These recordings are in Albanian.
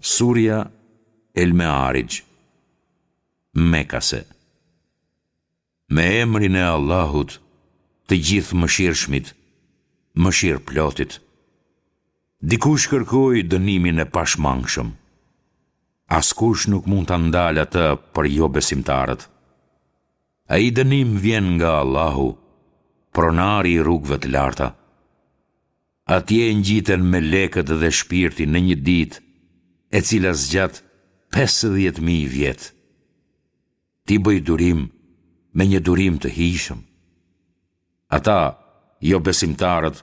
Surja El Mearixh, Mekase Me emrin e Allahut, të Gjithëmëshirshmit, Mëshirëplotit. Dikush kërkoi dënimin e pashmangshëm. Askush nuk mund ta ndalë atë për jobesimtarët. Ai dënim vjen nga Allahu, pronari i rrugëve të larta. Atje ngjiten melekët dhe shpirti në një ditë, e cila zgjat 50.000 vjet. Ti bëj durim me një durim të hijshëm. Ata, jobesimtarët,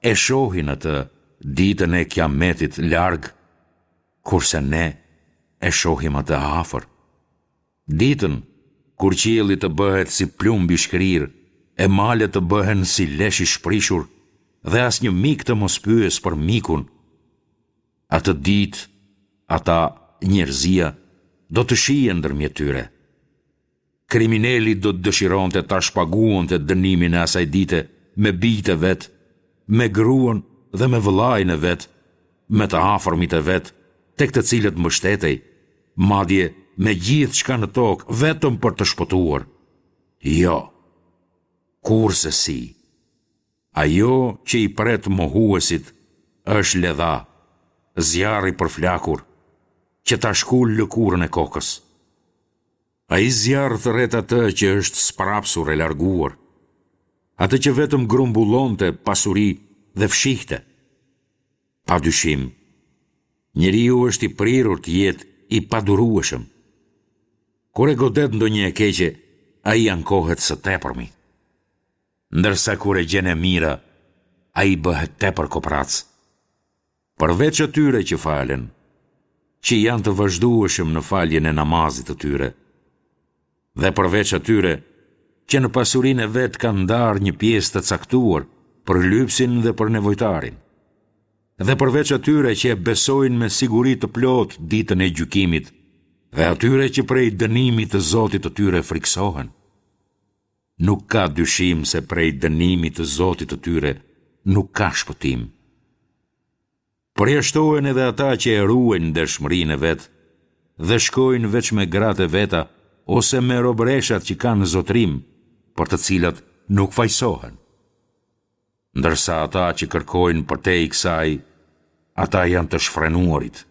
e shohin atë ditën e Kiametit larg, kurse ne e shohim atë afër. Ditën, kur qielli të bëhet si plumb i shkrirë e malet të bëhen si lesh i shprishur dhe asnjë mik të mos pyesë për mikun, atë ditë ata, njerëzia, do të shihen ndërmjet tyre. Krimineli do të dëshironte ta shpaguante dënimin e asaj dite me bijtë e vet, me gruan dhe me vëllain e vet, me të afërmit e vet, tek të cilët mbështetej, madje me gjithçka në tokë vetëm për të shpëtuar. Jo. Kurrsesi. Ajo që i pret mohuesit është ledha, zjarr i përflakur, që ta shkul lëkurën e kokës. Ai zjarr thërret atë që është sprapsur e larguar, atë që vetëm grumbullonte pasuri dhe fshihte. Pa dyshim, njeriu është i prirur të jetë i padurueshëm. Kur e godet ndonjë e keqe, ai ankohet së tepërmi. Ndërsa kur e gjen e mira, ai bëhet tepër koprrac. Përveç atyre që falen, që janë të vazhdueshëm në faljen e namazit të tyre, dhe përveç atyre që në pasurinë e vet kanë ndarë një pjesë të caktuar për lypësin dhe për nevojtarin, dhe përveç atyre që e besojnë me siguri të plotë ditën e gjykimit dhe atyre që prej dënimit të Zotit të tyre frikësohen. Nuk ka dyshim se prej dënimit të Zotit të tyre nuk ka shpëtim. Përjashtohen edhe ata që e ruajnë ndershmërinë e vet dhe shkojnë veç me gratë e veta ose me robëreshat që kanë në zotërim, për të cilat nuk fajësohen. Ndërsa ata që kërkojnë përtej kësaj, ata janë të shfrenuarit.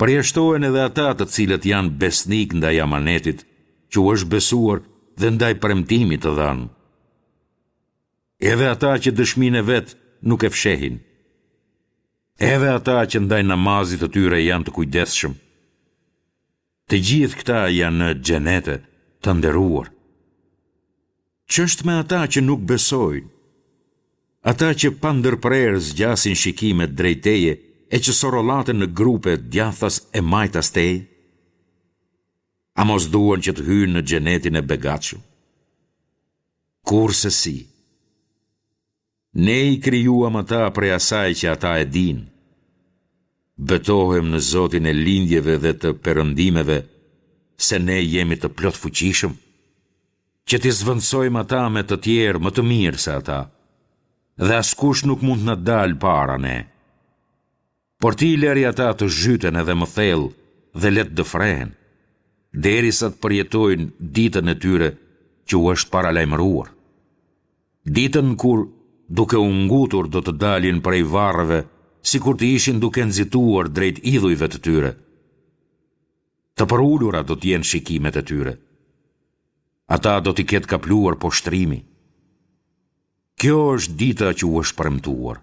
Përjashtohen edhe ata të cilët janë besnikë ndaj amanetit që u është besuar dhe ndaj premtimit të dhënë. Edhe ata që dëshminë e vet nuk e fshehin. Edhe ata që ndaj namazit të tyre janë të kujdesshëm. Të gjithë këta janë në xhenete të nderuar. Ç'është me ata që nuk besojnë? Ata që pandërprerë zgjasin shikimet drejt teje e që sorollaten në grupe djathtas e majtas teje? A mos duan që të hyjnë në xhenetin e begatshëm? Kurrsesi. Ne i krijuam ata prej asaj që ata e dinë. Betohem në Zotin e lindjeve dhe të perëndimeve se ne jemi të plotfuqishëm, që t'i zëvendësojmë ata me të tjerë më të mirë se ata, dhe askush nuk mund të na dalë para ne. Por ti lëri ata të zhyten edhe më thellë dhe le të dëfrehen, derisa të përjetojnë ditën e tyre që u është paralajmëruar. Ditën kur, duke u ngutur do të dalin prej varreve, sikur të ishin duke nxituar drejt idhujve të tyre. Të përulura do të jenë shikimet e tyre. Ata do t'i ketë kapluar poshtërimi. Kjo është dita që u është premtuar.